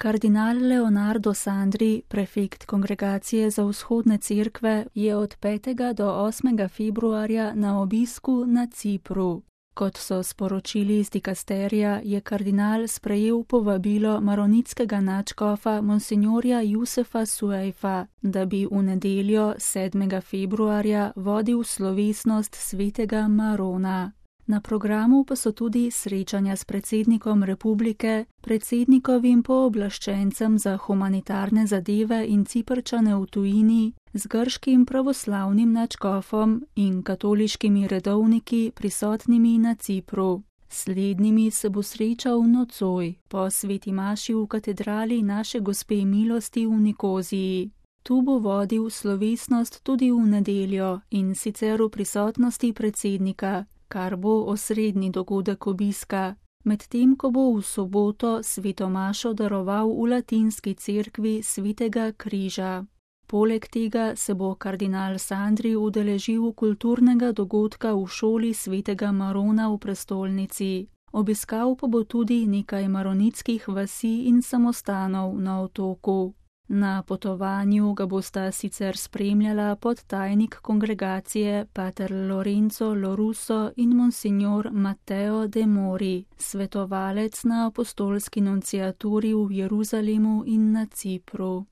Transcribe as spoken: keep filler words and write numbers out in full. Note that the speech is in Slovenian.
Kardinal Leonardo Sandri, prefekt Kongregacije za vzhodne cerkve, je od petega do osmega februarja na obisku na Cipru. Kot so sporočili iz dikasterija, je kardinal sprejel povabilo maronitskega nadškofa monsinjorja Jusefa Suejfa, da bi v nedeljo sedmega februarja vodil slovesnost svetega Marona. Na programu pa so tudi srečanja s predsednikom republike, predsednikovim pooblaščencem za humanitarne zadeve in Ciprčane v tujini, z grškim pravoslavnim nadškofom in katoliškimi redovniki prisotnimi na Cipru. Slednjimi se bo srečal nocoj po sveti maši v katedrali Naše gospe milosti v Nikoziji. Tu bo vodil slovesnost tudi v nedeljo in sicer v prisotnosti predsednika, kar bo osrednji dogodek obiska, medtem ko bo v soboto sveto mašo daroval v latinski cerkvi svetega križa. Poleg tega se bo kardinal Sandri udeležil kulturnega dogodka v šoli svetega Marona v prestolnici. Obiskal pa bo tudi nekaj maronitskih vasi in samostanov na otoku. Na potovanju ga bosta sicer spremljala podtajnik kongregacije pater Lorenzo Lorusso in monsignor Matteo De Mori, svetovalec na apostolski nunciaturi v Jeruzalemu in na Cipru.